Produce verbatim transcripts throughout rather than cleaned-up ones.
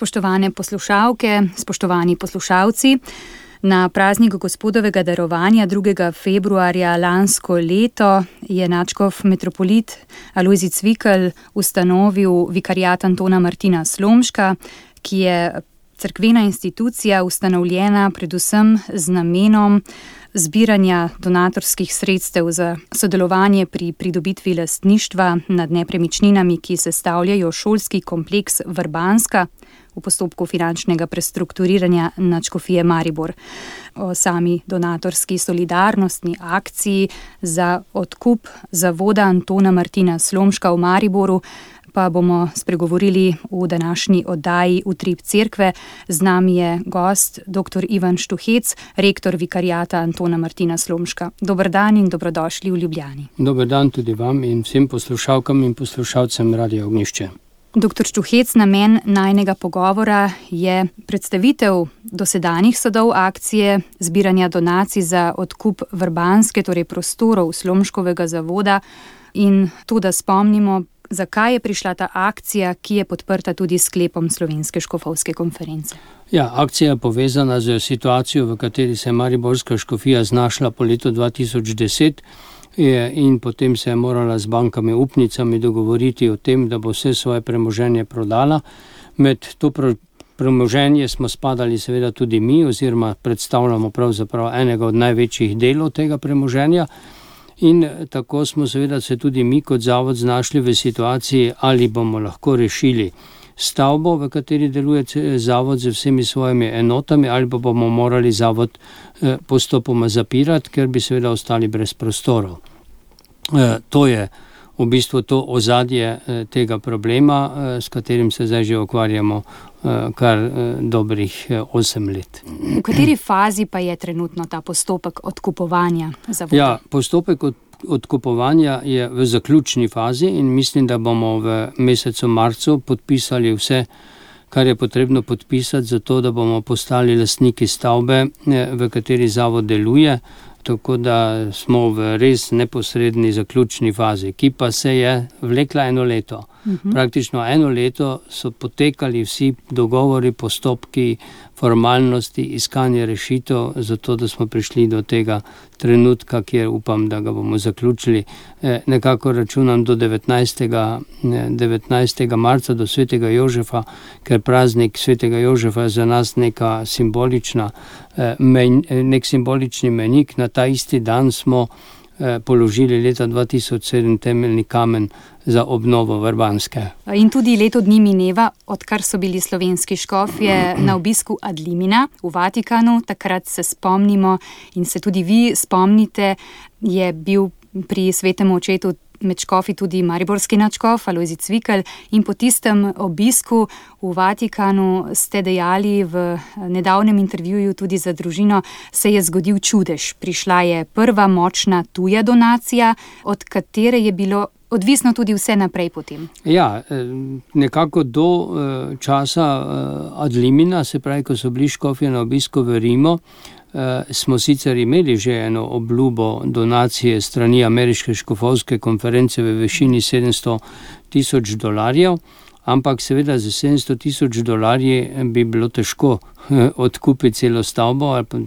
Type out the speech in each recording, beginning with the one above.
Spoštovane poslušalke, spoštovani poslušalci, na praznik Gospodovega darovanja drugega februarja lansko leto je nadškof metropolit Alojzij Cvikl ustanovil vikariat Antona Martina Slomška, ki je cerkvena institucija ustanovljena predvsem z namenom zbiranja donatorskih sredstev za sodelovanje pri pridobitvi lastništva nad nepremičninami, ki sestavljajo šolski kompleks Vrbanska v postopku finančnega prestrukturiranja nadškofije Maribor. O sami donatorski solidarnostni akciji za odkup zavoda Antona Martina Slomška v Mariboru pa bomo spregovorili v današnji oddaji Utrip cerkve. Z nami je gost dr. Ivan Štuhec, rektor vikariata Antona Martina Slomška. Dober dan in dobrodošli v Ljubljani. Dober dan tudi vam in vsem poslušalkam in poslušalcem Radia Ognjišče. doktor Štuhec, namen najnega pogovora je predstavitev dosedanjih sadov akcije zbiranja donacij za odkup Vrbanske, torej prostorov Slomškovega zavoda, in to, da spomnimo, zakaj je prišla ta akcija, ki je podprta tudi s sklepom Slovenske škofovske konference. Ja, akcija je povezana z situacijo, v kateri se je mariborska škofija znašla po letu dva tisoč deset in potem se je morala z bankami upnicami dogovoriti o tem, da bo vse svoje premoženje prodala. Med to premoženje smo spadali seveda tudi mi, oziroma predstavljamo pravzaprav enega od največjih delov tega premoženja. In tako smo seveda se tudi mi kot zavod znašli v situaciji, ali bomo lahko rešili stavbo, v kateri deluje zavod z vsemi svojimi enotami, ali pa bomo morali zavod postopoma zapirati, ker bi seveda ostali brez prostorov. To je v bistvu to ozadje tega problema, s katerim se zdaj že ukvarjamo kar dobrih osem let. V kateri fazi pa je trenutno ta postopek odkupovanja zavoda? Ja, postopek od, odkupovanja je v zaključni fazi in mislim, da bomo v mesecu marcu podpisali vse, kar je potrebno podpisati, zato da bomo postali lastniki stavbe, v kateri zavod deluje. Tako da smo v res neposredni zaključni fazi, ki pa se je vlekla eno leto. Uh-huh. Praktično eno leto so potekali vsi dogovori, postopki, formalnosti, iskanje rešitev, zato da smo prišli do tega trenutka, kjer upam, da ga bomo zaključili. E, nekako računam do devetnajstega marca, do svetega Jožefa, ker praznik svetega Jožefa je za nas neka simbolična, e, men, nek simbolični menik. Na ta isti dan smo e, položili leta dva tisoč sedem temeljni kamen za obnovo Vrbanske. In tudi leto dni mineva, odkar so bili slovenski škofje na obisku ad limina v Vatikanu. Takrat se spomnimo in se tudi vi spomnite, je bil pri svetem očetu med škofi tudi mariborski nadškof Alojzij Cvikl, in po tistem obisku v Vatikanu ste dejali v nedavnem intervjuju tudi za družino, se je zgodil čudež. Prišla je prva močna tuja donacija, od katere je bilo odvisno tudi vse naprej potem. Ja, nekako do časa ad limina, se pravi, ko so bili škofje na obisku v Rimu, smo sicer imeli že eno obljubo donacije strani ameriške škofovske konference v višini sedemsto tisoč dolarjev, ampak seveda za sedemsto tisoč dolarji bi bilo težko odkupiti celo stavbo, ali pa,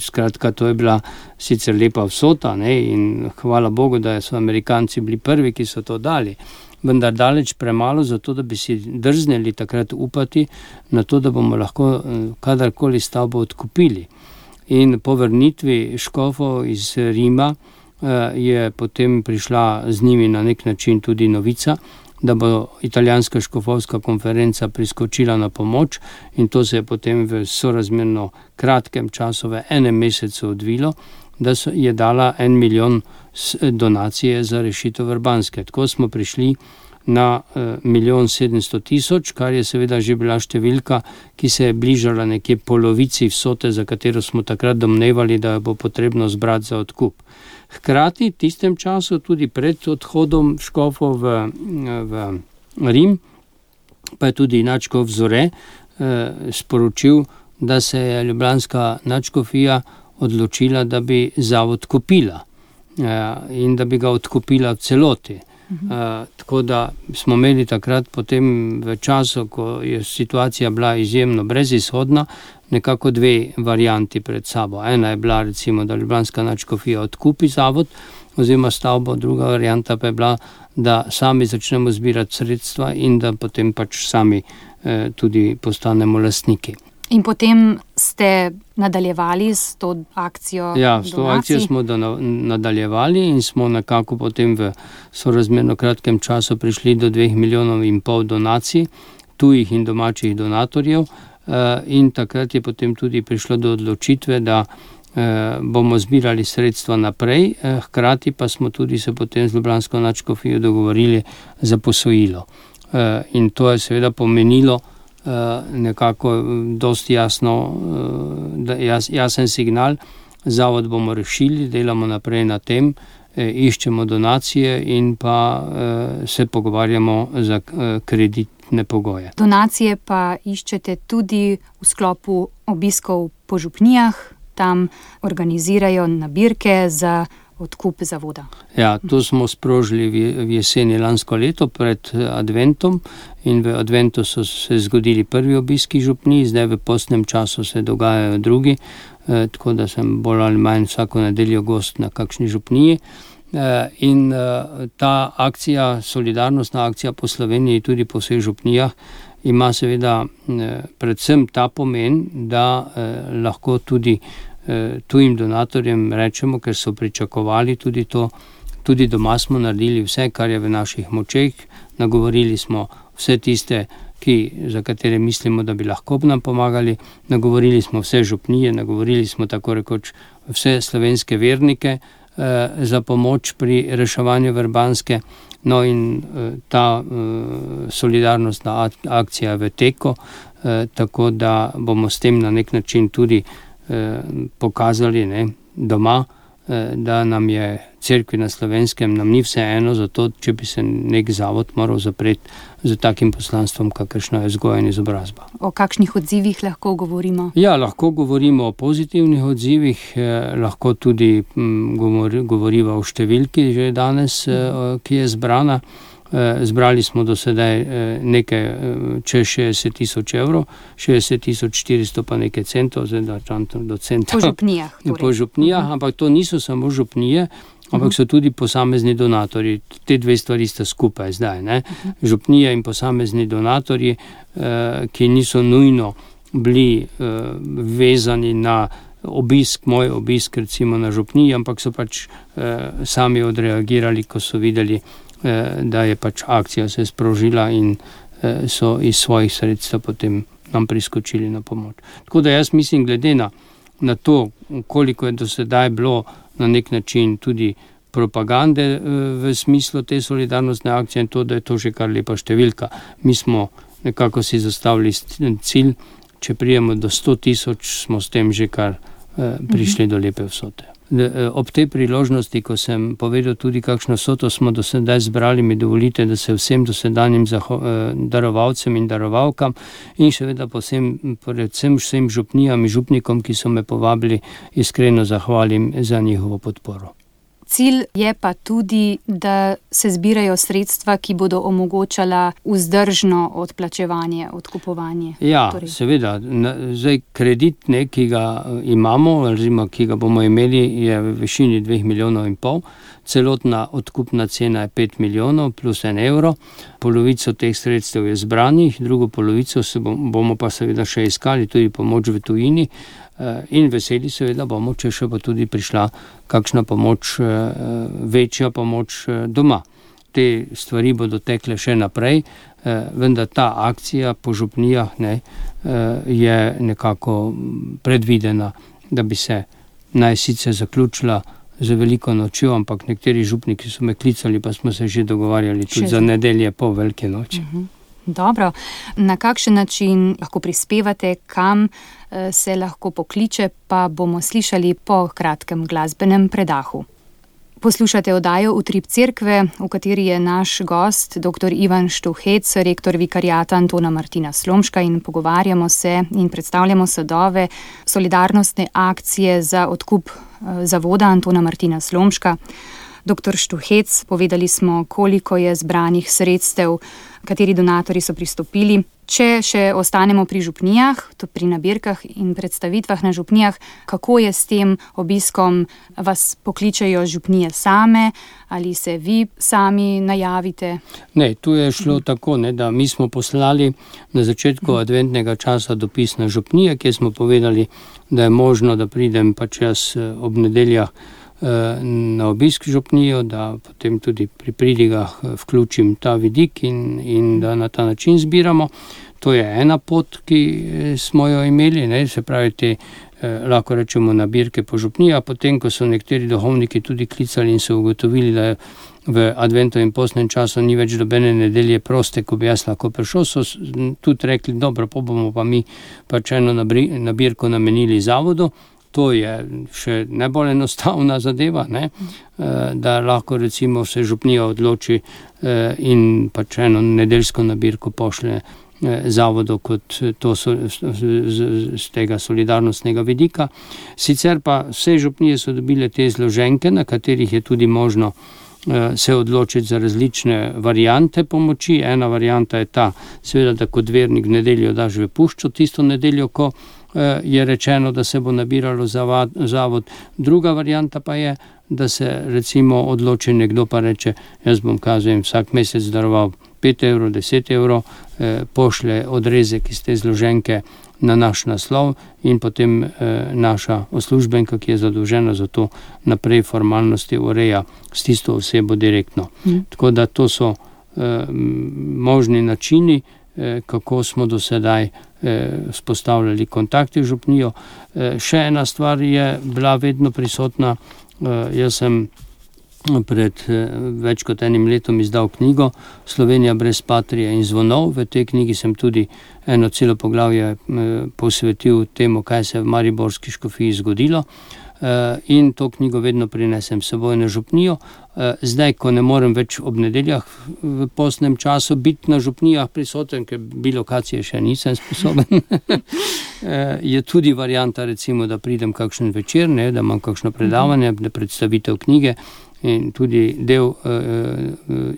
skratka, to je bila sicer lepa vsota, ne, in hvala Bogu, da so Amerikanci bili prvi, ki so to dali, vendar daleč premalo za to, da bi si drznili takrat upati na to, da bomo lahko kadarkoli stavbo odkupili. In po vrnitvi škofov iz Rima je potem prišla z njimi na nek način tudi novica, da bo italijanska škofovska konferenca priskočila na pomoč, in to se je potem v sorazmerno kratkem času, v enem mesecu odvilo, da je dala en milijon donacije za rešitev Vrbanske. Tako smo prišli na milijon sedemsto tisoč, kar je seveda že bila številka, ki se je bližala nekje polovici vsote, za katero smo takrat domnevali, da bo potrebno zbrati za odkup. Hkrati, v tistem času, tudi pred odhodom škofov v, v Rim, pa je tudi nadškof Zore eh, sporočil, da se je ljubljanska nadškofija odločila, da bi zavod kupila eh, in da bi ga odkupila v celoti. Uh, tako da smo imeli takrat potem v času, ko je situacija bila izjemno brezizhodna, nekako dve varianti pred sabo. Ena je bila recimo, da Ljubljanska nadškofija odkupi zavod oziroma stavbo, druga varianta pa je bila, da sami začnemo zbirati sredstva in da potem pač sami eh, tudi postanemo lastniki. In potem ste nadaljevali s to akcijo Ja, s to donacij? akcijo smo da nadaljevali in smo nekako potem v sorazmerno kratkem času prišli do dveh milijonov in pol donacij, tujih in domačih donatorjev, in takrat je potem tudi prišlo do odločitve, da bomo zbirali sredstva naprej, hkrati pa smo tudi se potem z Ljubljansko nadškofijo dogovorili za posojilo. In to je seveda pomenilo nekako dosti jasno, jas, jasen signal, zavod bomo rešili, delamo naprej na tem, iščemo donacije in pa se pogovarjamo za kreditne pogoje. Donacije pa iščete tudi v sklopu obiskov po župnijah, tam organizirajo nabirke za odkup zavoda. Ja, to smo sprožili v jeseni lansko leto pred adventom in v adventu so se zgodili prvi obiski župnij, zdaj v postnem času se dogajajo drugi, eh, tako da sem bolj ali manj vsako nedeljo gost na kakšni župniji. Eh, in eh, ta akcija, solidarnostna akcija po Sloveniji, tudi po vseh župnijah, ima seveda eh, predvsem ta pomen, da eh, lahko tudi tujim donatorjem rečemo, ker so pričakovali tudi to, tudi doma smo naredili vse, kar je v naših močeh, nagovorili smo vse tiste, ki, za katere mislimo, da bi lahko nam pomagali, nagovorili smo vse župnije, nagovorili smo tako rekoč vse slovenske vernike eh, za pomoč pri reševanju Vrbanske, no in eh, ta eh, solidarnostna akcija v teku, eh, tako da bomo s tem na nek način tudi pokazali ne, doma, da nam je cerkvi na Slovenskem, nam ni vse eno, zato če bi se nek zavod moral zapreti z takim poslanstvom, kakršno je vzgoja in izobrazba. O kakšnih odzivih lahko govorimo? Ja, lahko govorimo o pozitivnih odzivih, eh, lahko tudi hm, govor, govoriva o številki že danes, eh, ki je zbrana. Zbrali smo do sedaj nekaj čez šestdeset tisoč evrov, šestdeset tisoč štiristo pa nekaj centov, zdaj da čantam do centa. Po župnijah. Torej. Po župnijah, uh-huh. Ampak to niso samo župnije, ampak so tudi posamezni donatorji. Te dve stvari sta skupaj zdaj. Ne? Uh-huh. Župnije in posamezni donatorji, ki niso nujno bili vezani na obisk, moj obisk recimo na župniji, ampak so pač sami odreagirali, ko so videli, da je pač akcija se sprožila in so iz svojih sredstev potem nam priskočili na pomoč. Tako da jaz mislim, glede na, na to, koliko je do sedaj bilo na nek način tudi propagande v smislu te solidarnostne akcije in to, da je to že kar lepa številka. Mi smo nekako si zastavili cilj, če prijemo do sto tisoč, smo s tem že kar prišli do lepe vsote. Ob tej priložnosti, ko sem povedal tudi, kakšno vsoto smo do sedaj zbrali, mi dovolite, da se vsem dosedanjim zaho- darovalcem in darovalkam in seveda posem, predvsem vsem župnijam in župnikom, ki so me povabili, iskreno zahvalim za njihovo podporo. Cilj je pa tudi, da se zbirajo sredstva, ki bodo omogočala vzdržno odplačevanje, odkupovanje. Ja, torej. Seveda. Zdaj, kredit, ne, ki ga imamo, oziroma ki ga bomo imeli, je v višini dveh milijonov in pol. Celotna odkupna cena je pet milijonov plus en evro. Polovico teh sredstev je zbranih, drugo polovico se bomo pa seveda še iskali, tudi pomoč v tujini. In veseli seveda bomo, če še bo tudi prišla kakšna pomoč, večja pomoč doma. Te stvari bodo tekle še naprej, vendar ta akcija po župnijah ne, je nekako predvidena, da bi se naj sicer zaključila z veliko nočjo, ampak nekateri župniki so me klicali, pa smo se že dogovarjali tudi še za nedelje po velike noči. Uh-huh. Dobro. Na kakšen način lahko prispevate, kam se lahko pokliče, pa bomo slišali po kratkem glasbenem predahu. Poslušate oddajo Utrip cerkve, v kateri je naš gost dr. Ivan Štuhec, rektor vikariata Antona Martina Slomška, in pogovarjamo se in predstavljamo sadove solidarnostne akcije za odkup zavoda Antona Martina Slomška. doktor Štuhec, povedali smo, koliko je zbranih sredstev, kateri donatorji so pristopili. Če še ostanemo pri župnijah, to pri nabirkah in predstavitvah na župnijah, kako je s tem obiskom? Vas pokličejo župnije same ali se vi sami najavite? Ne, tu je šlo tako, ne, da mi smo poslali na začetku adventnega časa dopis na župnije, kjer smo povedali, da je možno, da pridem pač jaz ob nedeljah na obisk župnijo, da potem tudi pri pridigah vključim ta vidik in, in da na ta način zbiramo. To je ena pot, ki smo jo imeli, ne, se pravi te, eh, lahko rečemo, nabirke po župnijah, potem, ko so nekateri duhovniki tudi klicali in so ugotovili, da je v adventu in postnem času ni več dobene nedelje proste, ko bi jaz lahko prišel, so tudi rekli, dobro, pa bomo pa mi pač eno nabirko namenili zavodu. To je še najbolj enostavna zadeva, ne? Da lahko recimo se župnija odloči in pač eno nedeljsko nabirko pošle zavodu kot to so, z tega solidarnostnega vidika. Sicer pa vse župnije so dobile te zloženke, na katerih je tudi možno se odločiti za različne variante pomoči. Ena varianta je ta, seveda, da kot vernik v nedeljo daš v puščo tisto nedeljo, ko je rečeno, da se bo nabiralo zavod. Druga varianta pa je, da se recimo odloči nekdo pa reče, jaz bom kazujem vsak mesec daroval pet evrov, deset evrov, eh, pošle odrezek iz te zloženke na naš naslov in potem eh, naša uslužbenka, ki je zadolžena za to, naprej formalnosti ureja s tisto osebo direktno. Mm. Tako da to so eh, možni načini, eh, kako smo do sedaj spostavljali kontakte v župnijo. Še ena stvar je bila vedno prisotna. Jaz sem pred več kot enim letom izdal knjigo Slovenija brez patrije in zvonov. V tej knjigi sem tudi eno celo poglavje posvetil temu, kaj se je v mariborski škofiji zgodilo. In to knjigo vedno prinesem s seboj na župnijo. Zdaj, ko ne morem več ob nedeljah v postnem času biti na župnijah prisoten, ker bi lokacije še nisem sposoben, je tudi varianta, recimo, da pridem kakšen večer, ne, da imam kakšno predavanje, da predstavitev knjige in tudi del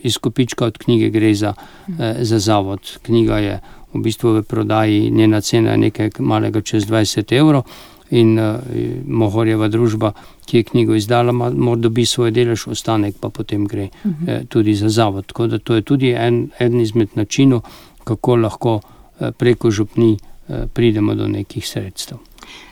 izkupička od knjige gre za, za zavod. Knjiga je v bistvu v prodaji, njena cena je nekaj malega čez dvajset evrov. In uh, Mohorjeva družba, ki je knjigo izdala, mora dobi svoj delež, ostanek pa potem gre uh-huh. eh, tudi za zavod. Tako da to je tudi en, en izmed načinov, kako lahko eh, preko župni eh, pridemo do nekih sredstev.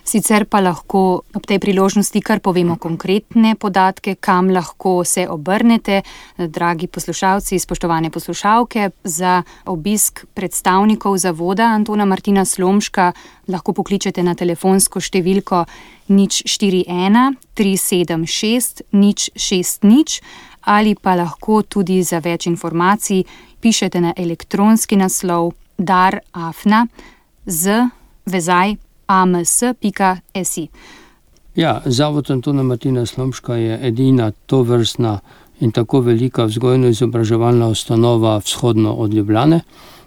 Sicer pa lahko ob tej priložnosti kar povemo konkretne podatke, kam lahko se obrnete, dragi poslušalci, spoštovane poslušalke. Za obisk predstavnikov zavoda Antona Martina Slomška lahko pokličete na telefonsko številko nič štiri ena tri sedem šest nič šest nič ali pa lahko tudi za več informacij pišete na elektronski naslov dar afna z vezaj a m s pika s i. Ja, Zavod Antona Martina Slomška je edina tovrstna in tako velika vzgojno-izobraževalna ustanova vzhodno od Ljubljane.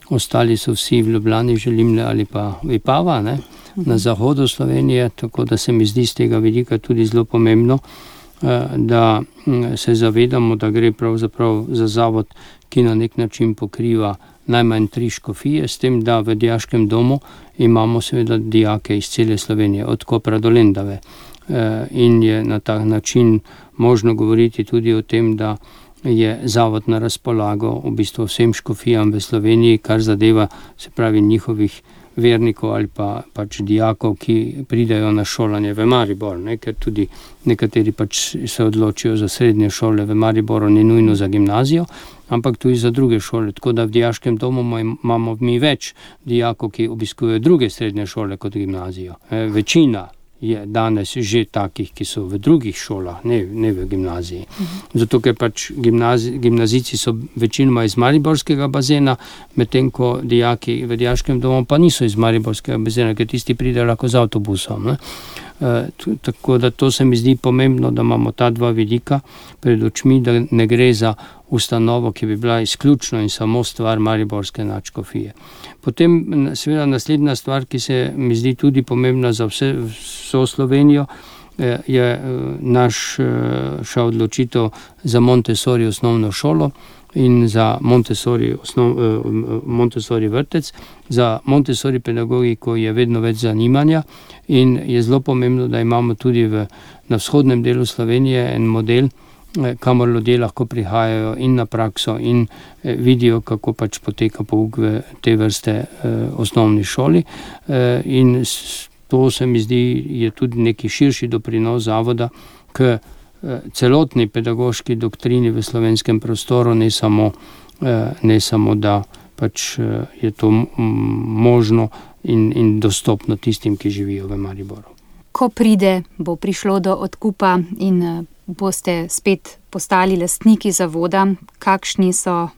Ostali so vsi v Ljubljani, Želimne ali pa Vipava, ne, na zahodu Slovenije, tako da se mi zdi z tega vidika tudi zelo pomembno, da se zavedamo, da gre pravzaprav za zavod, ki na nek način pokriva najmanj tri škofije, s tem, da v dijaškem domu imamo seveda dijake iz cele Slovenije, od Kopra do Lendave. In je na tak način možno govoriti tudi o tem, da je zavod na razpolago v bistvu vsem škofijam v Sloveniji, kar zadeva, se pravi, njihovih vernikov ali pa pač dijakov, ki pridajo na šolanje v Maribor, ne? Ker tudi nekateri pač se odločijo za srednje šole v Mariboru, ni nujno za gimnazijo, ampak tudi za druge šole, tako da v dijaškem domu imamo mi več dijakov, ki obiskujejo druge srednje šole kot gimnazijo. E, večina je danes že takih, ki so v drugih šolah, ne, ne v gimnaziji. Zato, ker pač gimnazi, gimnazici so večinoma iz mariborskega bazena, medtem ko dijaki v dijaškem domu pa niso iz mariborskega bazena, ker tisti pridejo lahko z avtobusom. Ne? E, tako da to se mi zdi pomembno, da imamo ta dva vidika pred očmi, da ne gre za ustanovo, ki bi bila izključno in samo stvar mariborske nadškofije. Potem seveda naslednja stvar, ki se mi zdi tudi pomembna za vse, vso Slovenijo, je naša odločitev za Montessori osnovno šolo in za Montessori, osnov, Montessori vrtec. Za Montessori pedagogiko je vedno več zanimanja in je zelo pomembno, da imamo tudi v, na vzhodnem delu Slovenije en model, kamor ljudje lahko prihajajo in na prakso in vidijo, kako pač poteka pouk v te vrste osnovni šoli. In to se mi zdi je tudi neki širši doprinos zavoda k celotni pedagoški doktrini v slovenskem prostoru, ne samo, ne samo da pač je to možno in, in dostopno tistim, ki živijo v Mariboru. Ko pride, bo prišlo do odkupa in boste spet postali lastniki zavoda, kakšni so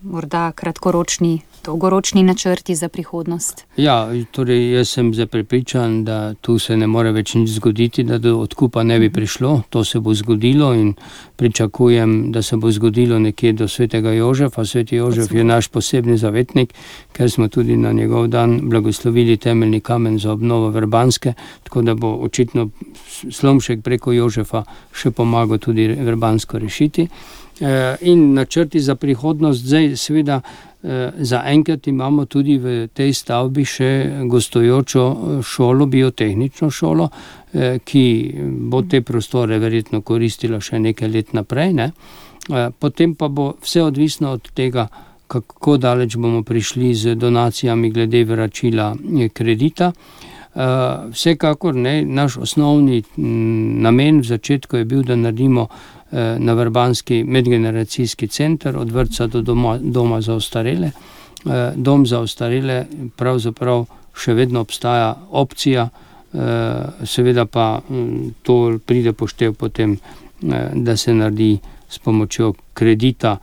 morda kratkoročni, dolgoročni načrti za prihodnost? Ja, torej jaz sem zdaj prepričan, da tu se ne more več nič zgoditi, da do odkupa ne bi prišlo. To se bo zgodilo in pričakujem, da se bo zgodilo nekje do svetega Jožefa. Sveti Jožef je naš posebni zavetnik, ker smo tudi na njegov dan blagoslovili temeljni kamen za obnovo Vrbanske, tako da bo očitno Slomšek preko Jožefa še pomagal tudi Vrbansko rešiti. In načrti za prihodnost, zdaj seveda za enkrat imamo tudi v tej stavbi še gostujočo šolo, biotehnično šolo, ki bo te prostore verjetno koristila še nekaj let naprej, ne? Potem pa bo vse odvisno od tega, kako daleč bomo prišli z donacijami glede vračila kredita. Vsekakor ne, naš osnovni namen v začetku je bil, da naredimo na Vrbanski medgeneracijski center od vrtca do doma, doma za ostarele. Dom za ostarele pravzaprav še vedno obstaja opcija, seveda pa to pride poštev potem, da se naredi s pomočjo kredita,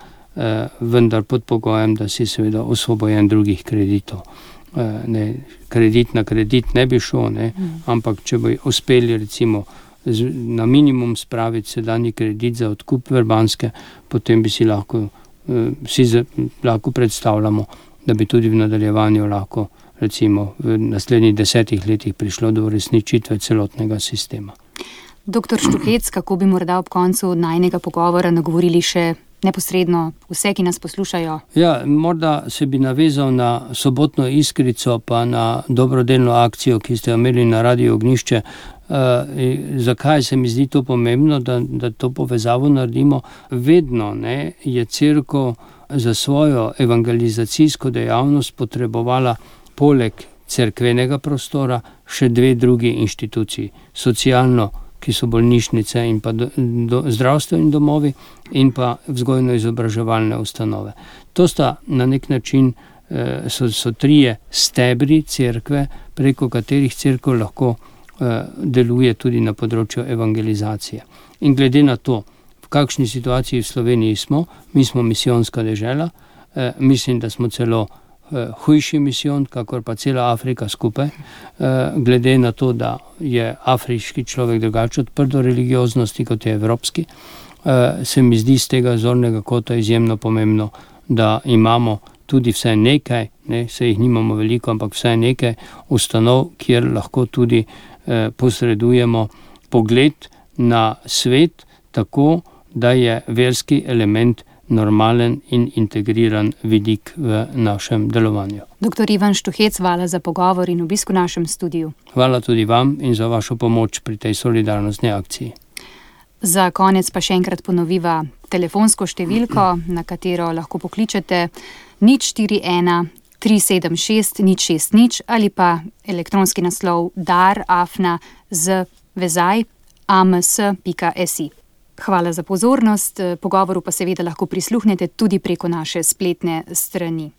vendar pod pogojem, da si seveda osvobojen drugih kreditov. Ne, kredit na kredit ne bi šel, ne, ampak če bi uspeli recimo na minimum spraviti sedanji kredit za odkup Vrbanske, potem bi si lahko, si lahko predstavljamo, da bi tudi v nadaljevanju lahko recimo v naslednjih desetih letih prišlo do uresničitve celotnega sistema. Doktor Štuhec, kako bi morda ob koncu najnega pogovora nagovorili še neposredno vse, ki nas poslušajo? Ja, morda se bi navezal na sobotno Iskrico, pa na dobrodelno akcijo, ki ste imeli na Radiu Ognjišče. Uh, zakaj se mi zdi to pomembno, da, da to povezavo naredimo? Vedno ne, je cerkev za svojo evangelizacijsko dejavnost potrebovala poleg cerkvenega prostora še dve drugi inštituciji. Socialno, ki so bolnišnice in pa do, do, zdravstveni domovi in pa vzgojno-izobraževalne ustanove. To sta na nek način uh, so, so trije stebri cerkve, preko katerih cerkev lahko deluje tudi na področju evangelizacije. In glede na to, v kakšni situaciji v Sloveniji smo, mi smo misijonska dežela, eh, mislim, da smo celo eh, hujši misijon, kakor pa cela Afrika skupaj, eh, glede na to, da je afriški človek drugače odprt do religioznosti, kot je evropski, eh, se mi zdi z tega zornega kota izjemno pomembno, da imamo tudi vsaj nekaj, ne, se jih nimamo veliko, ampak vsaj nekaj ustanov, kjer lahko tudi posredujemo pogled na svet tako, da je verski element normalen in integriran vidik v našem delovanju. Doktor Ivan Štuhec, hvala za pogovor in obisk v našem studiu. Hvala tudi vam in za vašo pomoč pri tej solidarnostni akciji. Za konec pa še enkrat ponoviva telefonsko številko, na katero lahko pokličete nič štiri ena tri sedem šest nič šest nič ali pa elektronski naslov dar afna z vezaj ams pika si. Hvala za pozornost, pogovoru pa seveda lahko prisluhnete tudi preko naše spletne strani.